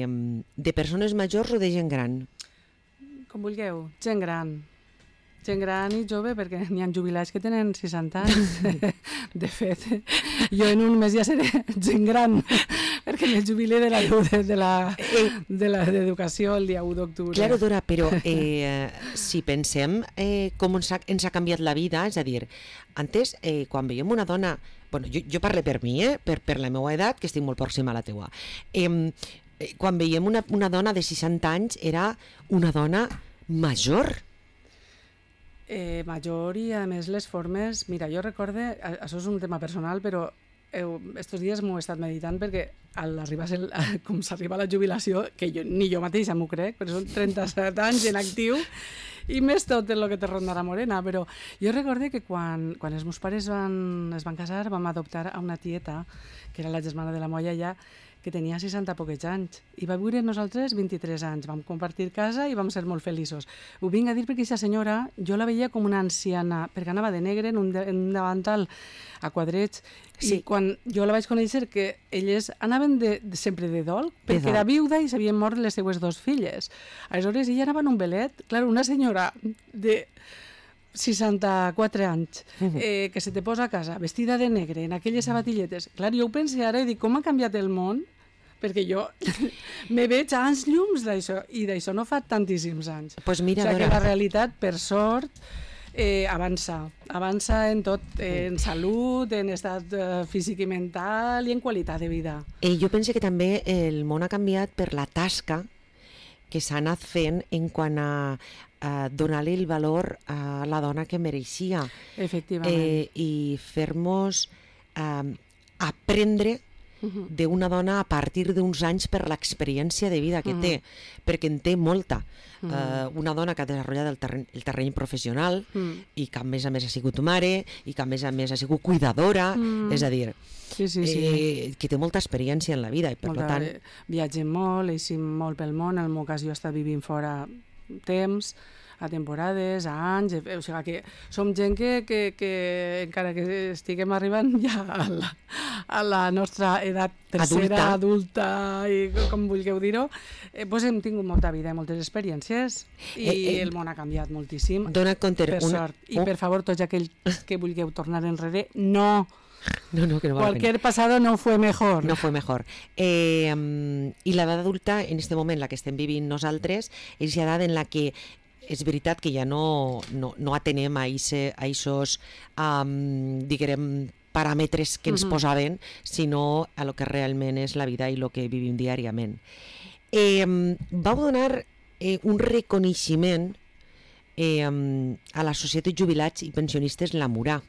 de persones majors o de gent gran? Com vulgueu, gent gran. Gent gran i jove, perquè n'hi ha jubilats que tenen 60 anys. De fet, jo en un mes ja seré gent gran, perquè me jubilé de l'educació el dia 1 d'octubre. Claro, Dora, però si pensem com ens ha canviat la vida, és a dir, antes, quan veiem una dona... Bueno, jo parlo per mi, per la meva edat, que estic molt pròxima a la teua. Quan veiem una dona de 60 anys, era una dona major. Major i a més les formes... Mira, jo recorde, això és un tema personal, però estos dies m'ho he estat meditant perquè com s'arriba a la jubilació, que ni jo mateixa m'ho crec, però són 37 anys en actiu i més tot el que te rondarà morena, però jo recorde que quan els meus pares es van casar vam adoptar a una tieta, que era la germana de la molla ja, que tenia 60 poquets anys, i va viure nosaltres 23 anys, vam compartir casa i vam ser molt feliços. Ho vinc a dir perquè aquesta senyora, jo la veia com una anciana, perquè anava de negre en un davantal a quadrets, i quan jo la vaig conèixer que elles anaven sempre de dol, perquè era viuda i s'havien mort les seues 2 filles. Aleshores ella anava en un velet, clar, una senyora de 64 anys, que se te posa a casa vestida de negre, en aquelles sabatilletes. Clar, jo ho pensé ara i dic, com ha canviat el món? Perquè jo me veig a anys llums d'això, i d'això no fa tantíssims anys. Pues mira, o sigui que la realitat, per sort, avança en tot, en salut, en estat físic i mental i en qualitat de vida. Jo penso que també el món ha canviat per la tasca que s'ha anat fent en quant a donar-li el valor a la dona que mereixia. Efectivament. I fer-nos aprendre d'una dona a partir d'uns anys per l'experiència de vida que té, perquè en té molta. Una dona que ha desenvolupat el terreny professional i que a més ha sigut mare i que a més ha sigut cuidadora, és a dir, que té molta experiència en la vida i per tant... Viatgem molt, eixim molt pel món, en el meu cas jo he estat vivint fora temps, a temporades, a anys, o sigui que som gent que encara que estiguem arribant ja a la nostra edat tercera, adulta i com vulgueu dir-ho, doncs hem tingut molta vida i moltes experiències i el món ha canviat moltíssim, per sort. I per favor, tots aquells que vulgueu tornar enrere, no. Cualquier pasado no fue mejor. No fue mejor. I l'edat adulta, en este moment, la que estem vivint nosaltres, és l'edat en la que és veritat que ja no atenem a aquests, diguem, paràmetres que ens posaven, sinó a lo que realment és la vida i el que vivim diàriament. Vau donar un reconeixement a la Societat de Jubilats i Pensionistes La Murà.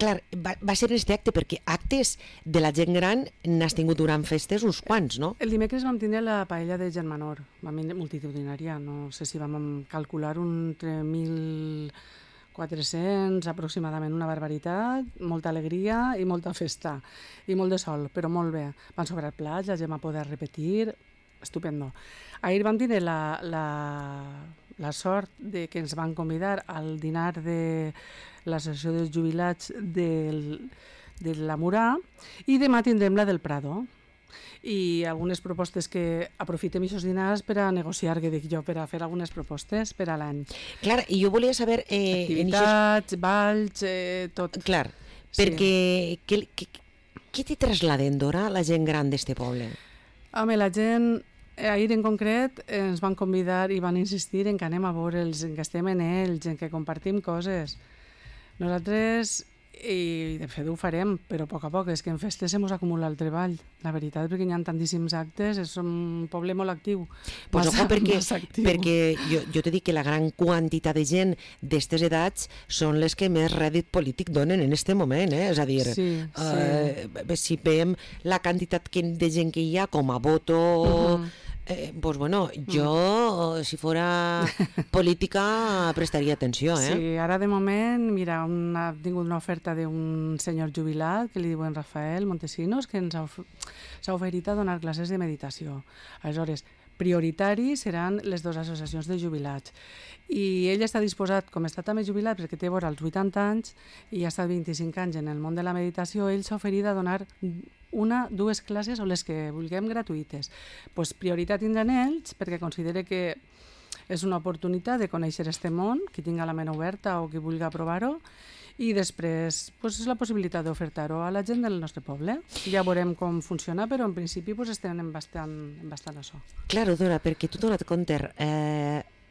Clar, va ser este acte, perquè actes de la gent gran n'has tingut durant festes uns quants, no? El dimecres vam tindre la paella de Germanor, vam venir multitudinària, no sé si vam calcular entre 1.400 aproximadament, una barbaritat, molta alegria i molta festa, i molt de sol, però molt bé. Van sobrar plats, la gent va poder repetir, estupendo. Ahir vam tindre la sort de que ens van convidar al dinar de l'Associació dels Jubilats de la Murà i demà tindrem la del Prado i algunes propostes que aprofitem aquests dinars per a negociar, que dic jo, per a fer algunes propostes per a l'any. Clar, i jo volia saber... Activitats, balls, tot. Clar, perquè què t'hi trasladen, Dora, la gent gran d'este poble? Home, la gent... Ahir en concret ens van convidar i van insistir en que anem a veure'ls, en que estem en ells, en que compartim coses. Nosaltres, i de fet ho farem, però a poc a poc, és que en festes se mos acumula el treball, la veritat, perquè hi ha tantíssims actes, és un poble molt actiu. Pues ojo, perquè jo t'he dit que la gran quantitat de gent d'estes edats són les que més rèdit polític donen en este moment, és a dir, si veiem la quantitat de gent que hi ha com a voto... Pues bueno, jo, si fora política, prestaria atenció, Sí, ara de moment, mira, ha tingut una oferta d'un senyor jubilat, que li diuen Rafael Montesinos, que ens s'ha oferit a donar classes de meditació. Aleshores, prioritari seran les dues associacions de jubilats. I ell està disposat, com està també jubilat, perquè té vora els 80 anys i ha estat 25 anys en el món de la meditació, ell s'ha oferit a donar dues classes o les que vulguem gratuïtes. Pues prioritat tindran ells perquè considere que és una oportunitat de conèixer este món, qui tinga la ment oberta o qui vulgui provar-ho, i després pues, és la possibilitat d'ofertar-ho a la gent del nostre poble. Ja veurem com funciona, però en principi pues, estem en bastant això. Claro, Dora, perquè tu t'has donat compte,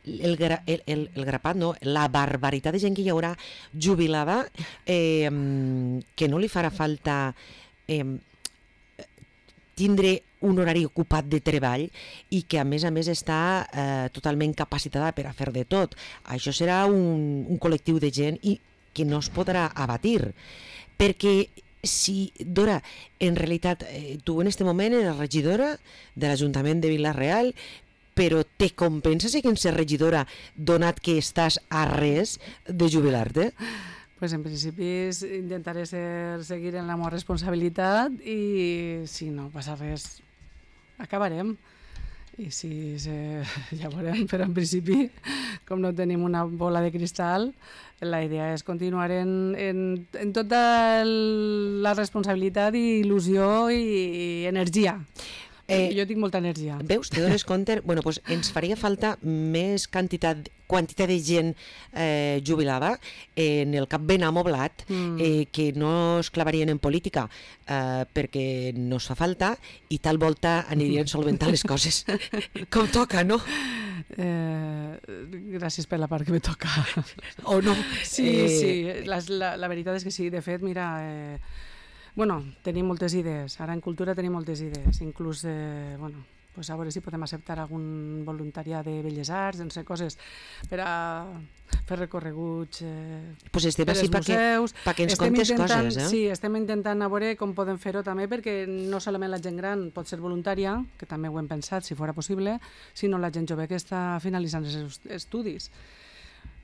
el grapat, no? La barbaritat de gent que hi haurà jubilada que no li farà falta tindre un horari ocupat de treball i que a més està totalment capacitada per a fer de tot. Això serà un col·lectiu de gent i que no es podrà abatir, perquè si, Dora, en realitat tu en aquest moment eres regidora de l'Ajuntament de Vila-real, però te compensa ser regidora donat que estàs a res de jubilar-te? Pues en principi intentaré seguir en la meva responsabilitat i si no passa res acabarem. I si ja veurem, però en principi, com no tenim una bola de cristal, la idea és continuar en tota la responsabilitat i il·lusió i energia. Jo tinc molta energia. Veus, te dones compte? Bueno, pues ens faria falta més quantitat de gent jubilada en el cap ben amoblat que no es clavarien en política perquè no es fa falta i tal volta anirien solventant les coses com toca, no? Gràcies per la part que me toca. O no? Sí, la veritat és que sí. De fet, mira... Bueno, tenim moltes idees. Ara en cultura tenim moltes idees. Inclús, pues a veure si podem acceptar algun voluntariat de Belles Arts, no sé, coses per a fer recorreguts pues per als museus. Perquè ens contes coses, Sí, estem intentant a veure com podem fer-ho també, perquè no solament la gent gran pot ser voluntària, que també ho hem pensat, si fora possible, sinó la gent jove que està finalitzant els estudis.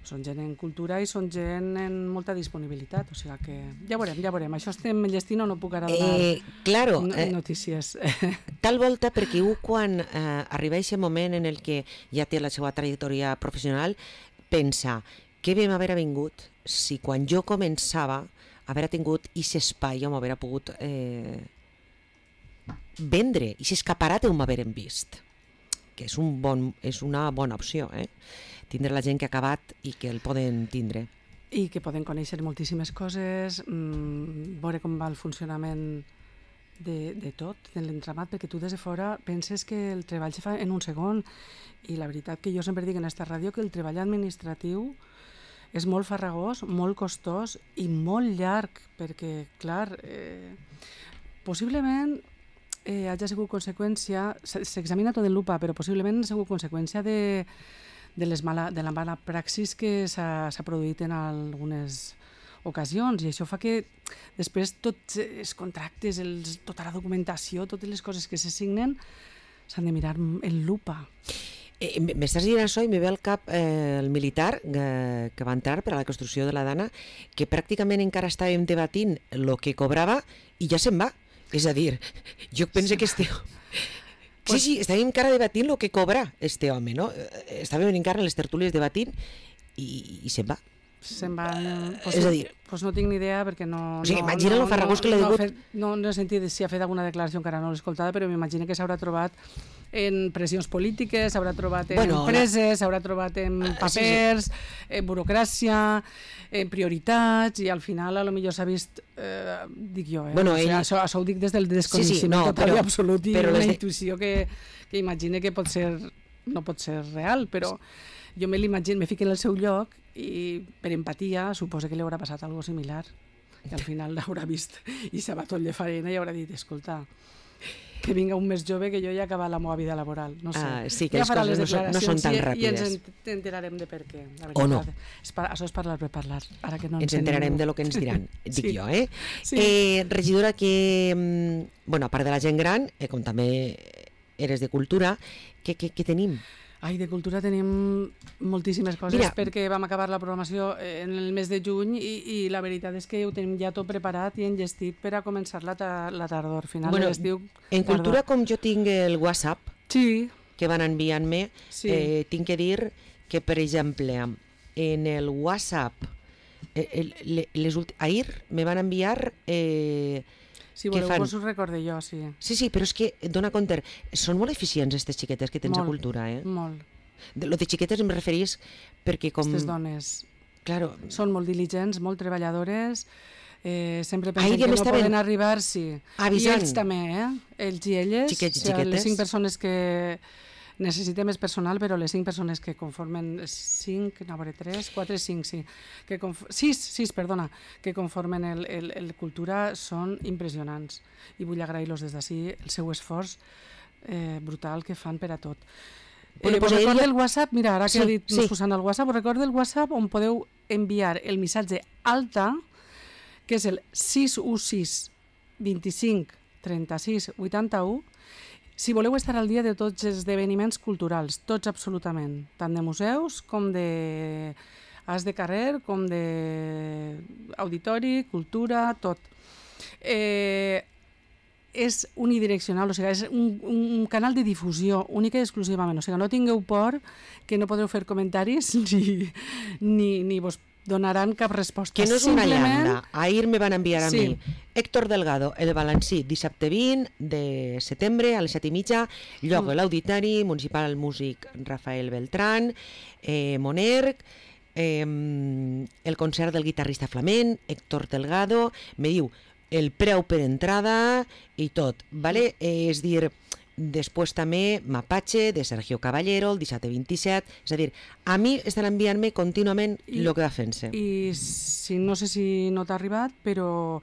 Són gent en cultura i són gent en molta disponibilitat, o sigui que ja veurem. Això estem enllestint o no puc ara donar notícies. Tal volta, perquè quan arriba aquest moment en el que ja té la seva trajectòria professional, pensa, què vam haver vingut si quan jo començava haver tingut aquest espai on m'haver pogut vendre, i escaparat on m'haverem vist, que és una bona opció, tindre la gent que ha acabat i que el poden tindre. I que poden conèixer moltíssimes coses, veure com va el funcionament de tot, de l'entramat, perquè tu des de fora penses que el treball se fa en un segon, i la veritat que jo sempre dic en esta ràdio que el treball administratiu és molt farragós, molt costós i molt llarg, perquè, clar, possiblement hagi sigut conseqüència, s'examina tot en lupa, però possiblement ha sigut conseqüència de la mala praxis que s'ha produït en algunes ocasions, i això fa que després tots els contractes, tota la documentació, totes les coses que se signen s'han de mirar en lupa. M'estàs dient això i me ve al cap el militar que va entrar per a la construcció de la Dana, que pràcticament encara estàvem debatint el que cobrava i ja se'n va. És a dir, jo penso que Sí, estàvem encara debatint el que cobra este home, no? Estàvem encara en les tertúlies debatint i se'n va. Se'n va... És a dir... Pues no tinc ni idea perquè no... O sigui, imagina el farragós que l'ha degut... No he sentit si ha fet alguna declaració, encara no l'he escoltada, però m'imagino que s'haurà trobat en pressions polítiques, s'haurà trobat en empreses, s'haurà trobat en papers, en burocràcia, en prioritats, i al final potser s'ha vist, dic jo, això ho dic des del desconeixement total i absolut, i una intuïció que imagine que no pot ser real, però jo me l'imagino, me fico en el seu lloc i per empatia suposo que li haurà passat alguna cosa similar, i al final l'haurà vist i s'ha batut de farina i haurà dit, escolta, que vinga un més jove que jo ja he acabat la meva vida laboral, no sé. Sí, que les coses no són tan ràpides. I ens enterarem de per què, la veritat. O no. Això és parlar per parlar. Ara que no ens enterarem de lo que ens diran, dic jo, Sí. Regidora, que, a part de la gent gran, com també eres de cultura, què tenim? De cultura tenim moltíssimes coses, perquè vam acabar la programació en el mes de juny i la veritat és que ho tenim ja tot preparat i enllestit per a començar la tardor, final de l'estiu. En cultura, com jo tinc el WhatsApp, sí, que van enviant-me. Sí. Tinc que dir que, per exemple, en el WhatsApp, ahir me van enviar... Si voleu, vos ho recorde jo, sí. Sí, però és que, dona compte, són molt eficients aquestes xiquetes que tens a Cultura, Molt. Lo de xiquetes em referís perquè com... Aquestes dones Claro. Són molt diligents, molt treballadores, sempre pensen que no poden arribar, sí. Avisant. I ells també, ells i elles. Xiquets i xiquetes. Les 5 persones que... Necessitem més personal, però les 5 persones que conformen 5, no, 3, 4, 5, sí. 6, perdona, que conformen el Cultura són impressionants. I vull agrair-los des d'ací el seu esforç brutal que fan per a tot. Bueno, pues recorda el WhatsApp, mira, ara que ha dit Susana el WhatsApp, recorda el WhatsApp on podeu enviar el missatge alta, que és el 616 25 36 81, si voleu estar al dia de tots els esdeveniments culturals, tots absolutament, tant de museus com de as de carrer, com d'auditori, cultura, tot. És unidireccional, o sigui, és un canal de difusió única i exclusivament, o sigui, no tingueu por que no podreu fer comentaris ni vos donaran cap resposta. Que no és una llanda. Ahir me van enviar a mi Héctor Delgado, el Balancí, dissabte 20 de setembre a les 7:30, lloc a l'Auditori Municipal Músic Rafael Beltrán, Monerg, el concert del guitarrista flamenc, Héctor Delgado, me diu el preu per entrada i tot, ¿vale? És dir, després també Mapache, de Sergio Caballero, el dissabte 27, és a dir, a mi estan enviant-me contínuament el que va fent-se. I no sé si no t'ha arribat, però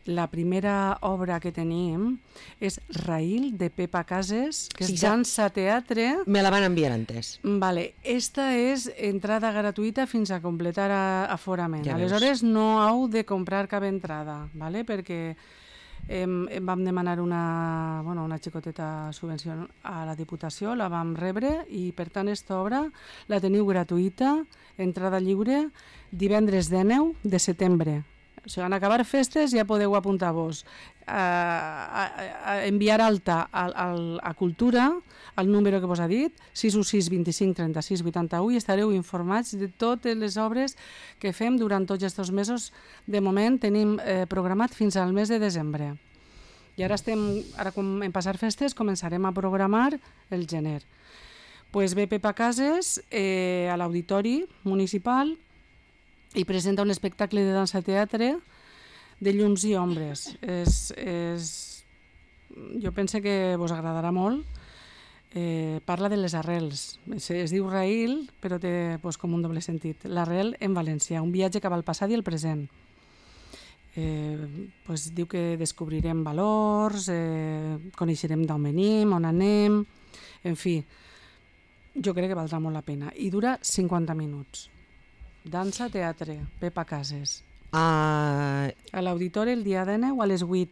la primera obra que tenim és Raïl, de Pepa Cases, que és dansa teatre. Me la van enviar antes. Vale, esta és entrada gratuïta fins a completar aforament. Aleshores no heu de comprar cap entrada, vale? Perquè vam demanar una xicoteta subvenció a la Diputació, la vam rebre i per tant aquesta obra la teniu gratuïta, entrada lliure, divendres 19 de setembre. O sigui, en acabar festes ja podeu apuntar-vos a enviar alta a Cultura, al número que vos ha dit, 616 25 36 81, i estareu informats de totes les obres que fem durant tots aquests mesos. De moment tenim programat fins al mes de desembre. I ara quan en passar festes començarem a programar el gener. Pues ve Pepa Cases a l'Auditori Municipal i presenta un espectacle de dansa-teatre de llums i ombres. Jo penso que vos agradarà molt. Parla de les arrels. Es diu Raïl, però té com un doble sentit. L'arrel en valencià, un viatge cap al passat i el present. Diu que descobrirem valors, coneixerem d'on venim, on anem, en fi, jo crec que valdrà molt la pena. I dura 50 minuts. Dansa, teatre, Pepa Cases. A l'Auditori el dia 19 a les 8.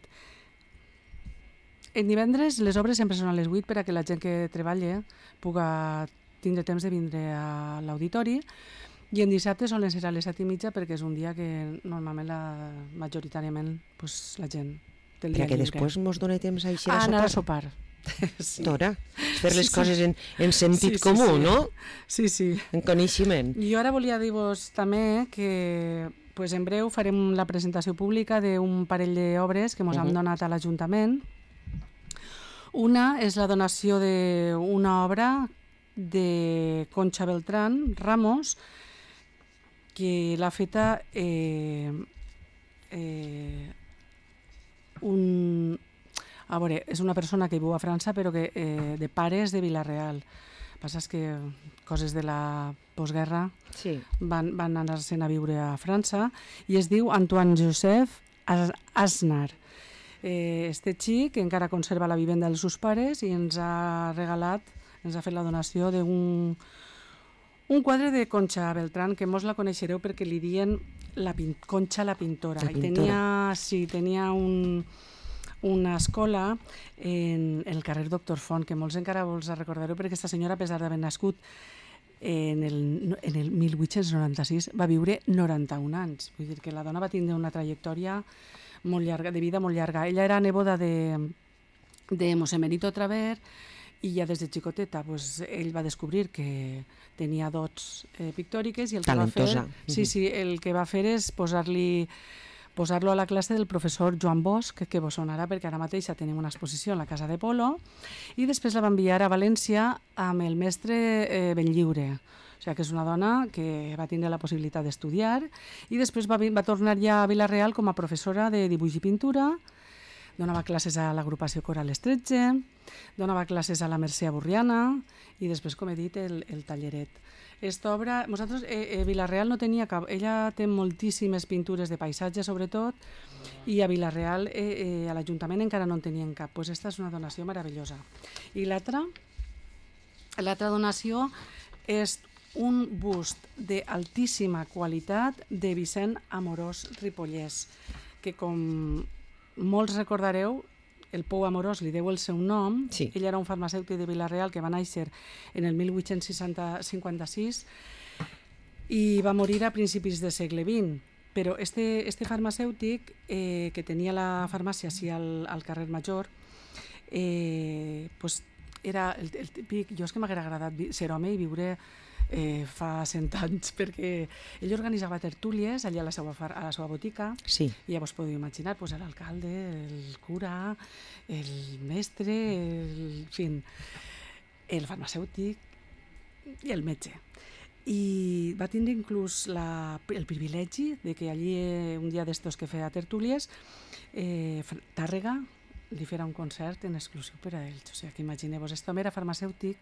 En divendres les obres sempre són a les 8 per a que la gent que treballa puga tindre temps de vindre a l'Auditori, i en dissabte solen ser a les 7:30 perquè és un dia que normalment majoritàriament la gent té el dia lliure. Perquè després mos dona temps a eixir a anar a sopar. Tora, fer les coses en sentit comú, no? Sí, sí. En coneixement. Jo ara volia dir-vos també que en breu farem la presentació pública d'un parell d'obres que ens han donat a l'Ajuntament. Una és la donació d'una obra de Concha Beltrán Ramos, que l'ha feta és una persona que viu a França però que de pares de Vila-real. El que passa és que coses de la postguerra van anar-se'n a viure a França, i es diu Antoine Joseph Asnar. Este xic encara conserva la vivenda dels seus pares i ens ha fet la donació d'un quadre de Concha Beltrán, que mos la coneixereu perquè li diuen Concha la pintora. I tenia una escola en el carrer Doctor Font, que molts encara vos recordareu, perquè aquesta senyora, a pesar d'haver nascut en el 1896, va viure 91 anys. Vull dir que la dona va tindre una trajectòria molt llarga, de vida molt llarga. Ella era neboda de Mos Emerito Traver, i ja des de xicoteta ell va descobrir que tenia dots pictòriques i el que talentosa. va fer, el que va fer és posar-lo a la classe del professor Joan Bosch, que vos sonarà perquè ara mateix tenim una exposició en la Casa de Polo, i després la va enviar a València amb el mestre Benlliure. O sigui, que és una dona que va tindre la possibilitat d'estudiar i després va tornar ja a Vila-real com a professora de dibuix i pintura, donava classes a l'agrupació Coral Estretge, donava classes a la Mercè Aburriana i després, com he dit, el talleret. Esta obra, nosaltres, Vila-real no tenia cap, ella té moltíssimes pintures de paisatge sobretot, i a Vila-real, a l'Ajuntament encara no en tenien cap. Pues esta és una donació meravellosa. I l'altra donació és un bust d'altíssima qualitat de Vicent Amorós Ripollès, que com molts recordareu, el Pou Amorós li deu el seu nom. Sí. Ell era un farmacèutic de Vila-real que va néixer en el 1856 i va morir a principis del segle XX. Però este farmacèutic, que tenia la farmàcia així al carrer Major, era el típic... Jo és que m'hauria agradat ser home i viure fa 100 anys, perquè ell organitzava tertúlies allà a la seva botica, Sí. i ja vos podeu imaginar l'alcalde, el cura, el mestre, el farmacèutic i el metge. I va tindre inclús el privilegi de que allí, un dia d'estos que feia tertúlies, Tàrrega li farà un concert en exclusiu per a ells. O sigui, que imagineu-vos, aquest home era farmacèutic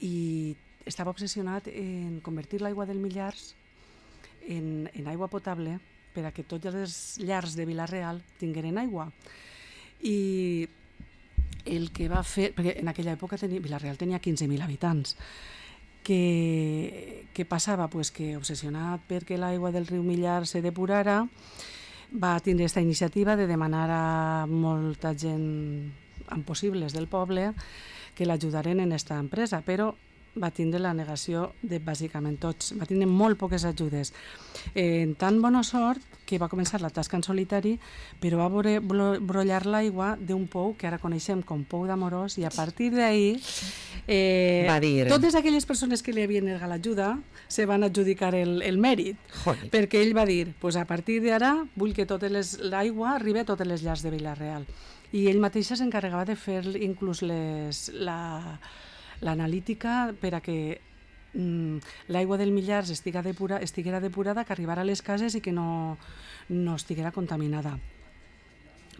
i estava obsessionat en convertir l'aigua del Millars en aigua potable per a que tots els llars de Vila-real tingueren aigua. I el que va fer, perquè en aquella època Vila-real tenia 15.000 habitants, què passava? Pues que obsessionat perquè l'aigua del riu Millar se depurara, va tindre aquesta iniciativa de demanar a molta gent amb possibles del poble que l'ajudaren en aquesta empresa, però va tindre la negació de bàsicament tots. Va tindre molt poques ajudes. En tan bona sort que va començar la tasca en solitari, però va brollar l'aigua d'un pou que ara coneixem com Pou d'Amorós, i a partir d'ahir totes aquelles persones que li havien negat l'ajuda se van adjudicar el mèrit. Joder. Perquè ell va dir, a partir d'ara vull que l'aigua arribi a totes les llars de Vila-real. I ell mateix s'encarregava de fer inclús l'analítica per a que l'aigua del Millars estiguera depurada, que arribara a les cases i que no estiguera contaminada.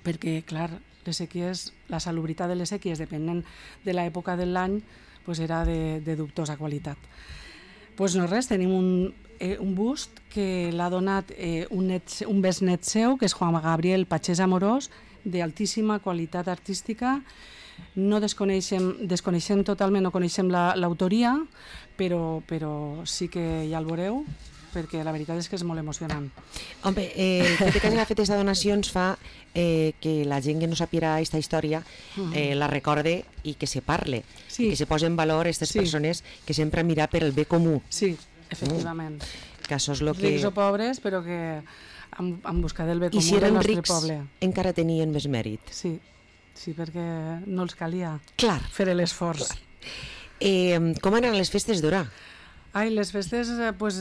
Perquè, clar, les sèquies, la salubritat de les sèquies, depenent de l'època de l'any, era de dubtosa qualitat. No res, tenim un bust que l'ha donat un besnet seu, que és Juan Gabriel Pachés Amorós, d'altíssima qualitat artística. No desconeixem totalment, no coneixem l'autoria, però sí que ja el veureu, perquè la veritat és que és molt emocionant. Home, el fet que hagi fet aquesta donació ens fa que la gent que no sàpiga aquesta història la recorde i que se parle, que se posi en valor aquestes persones que sempre han mirat per el bé comú. Sí, efectivament. Que això és el que... Rics o pobres, però que han buscat el bé comú del nostre poble. I si eren rics, encara tenien més mèrit. Sí, perquè no els calia fer l'esforç. Com anaven les festes d'Orà? Les festes,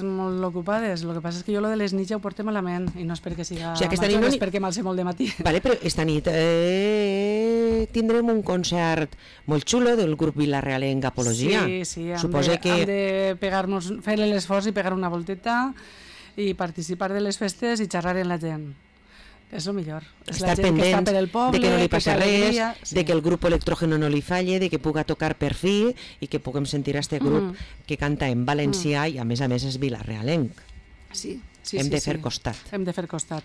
molt ocupades. El que passa és que jo lo de les nits ja ho porto malament, i no és perquè siga major, és perquè me'l sé molt de matí. Vale, però esta nit tindrem un concert molt xulo del grup Vila-realenc Apologia. Sí, hem de fer l'esforç i pegar una volteta i participar de les festes i xerrar amb la gent. És el millor. Estar pendents de que no li passa res, de que el grup Electrógeno no li falle, de que puga tocar per fi i que puguem sentir este grup que canta en valencià i a més és Vila-realenc. Sí. Hem de fer costat. Hem de fer costat.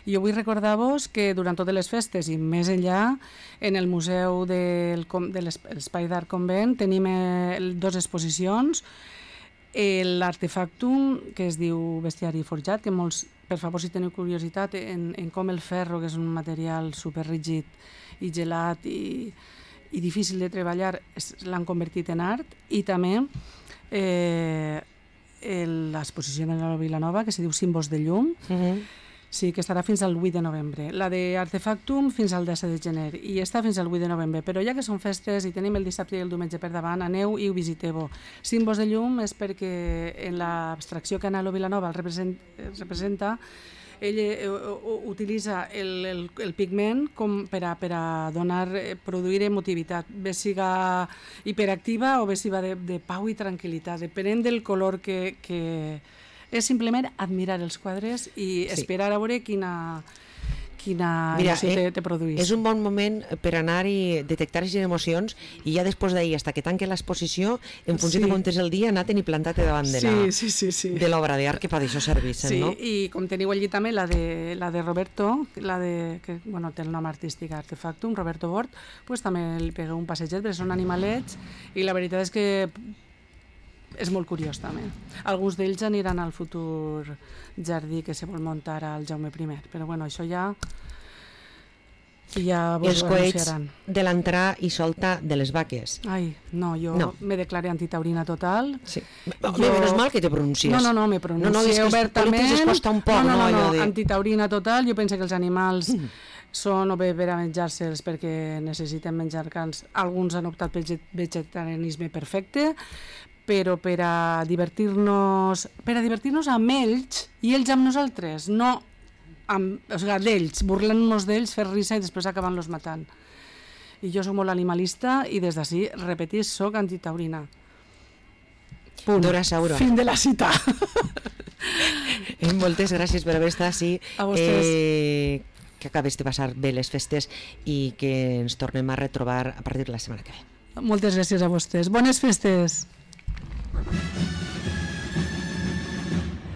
I jo vull recordar-vos que durant totes les festes i més enllà, en el Museu de l'Espai d'Art Convent tenim dues exposicions. L'artefactum, que es diu Bestiari Forjat, que molts, per favor, si teniu curiositat en com el ferro, que és un material superrígid i gelat i difícil de treballar, l'han convertit en art. I també l'exposició de la Vilanova, que se diu Símbols de llum, Sí, que estarà fins al 8 de novembre. La d'Artefactum fins al 10 de gener i està fins al 8 de novembre. Però ja que són festes i tenim el dissabte i el diumenge per davant, aneu i ho visiteu. Símbols de llum és perquè en l'abstracció que Anhelo Vilanova el representa, ell utilitza el pigment com per a produir emotivitat, bé siga hiperactiva o bé siga de pau i tranquil·litat, depenent del color que és simplement admirar els quadres i esperar a veure quina emoció te produís. És un bon moment per anar i detectar aquestes emocions i ja després d'ahir, fins que tanque l'exposició, en funció de com és el dia, anar-te'n i plantar-te davant de l'obra d'art que per això serveixen, no? Sí, i com teniu allí també la de Roberto, que té el nom artístic Artefactum, Roberto Bort, pues també li pegueu un passeget, perquè són animalets i la veritat és que és molt curiós també. Alguns d'ells aniran al futur jardí que se vol muntar al Jaume I, però bueno, això ja vos els ho coets anunciaran. de l'entrar i solta de les vaques. Ai, no, jo me declaré antitaurina total. Sí. Menos mal que te pronuncies. No, me pronuncio obertament. Es costa un poc, no, antitaurina total. Jo penso que els animals són o bé per a menjar-se'ls perquè necessiten menjar carns. Alguns han optat pel vegetarianisme perfecte, però per a divertir-nos amb ells i ells amb nosaltres, no d'ells, burlant-nos d'ells, fer risa i després acabant-los matant. I jo soc molt animalista i des d'ací, repetís, soc antitaurina. Punt. Dora Saura. Fin de la cita. Moltes gràcies per haver estat així. A vostès. Que acabes de passar bé les festes i que ens tornem a retrobar a partir de la setmana que ve. Moltes gràcies a vostès. Bones festes.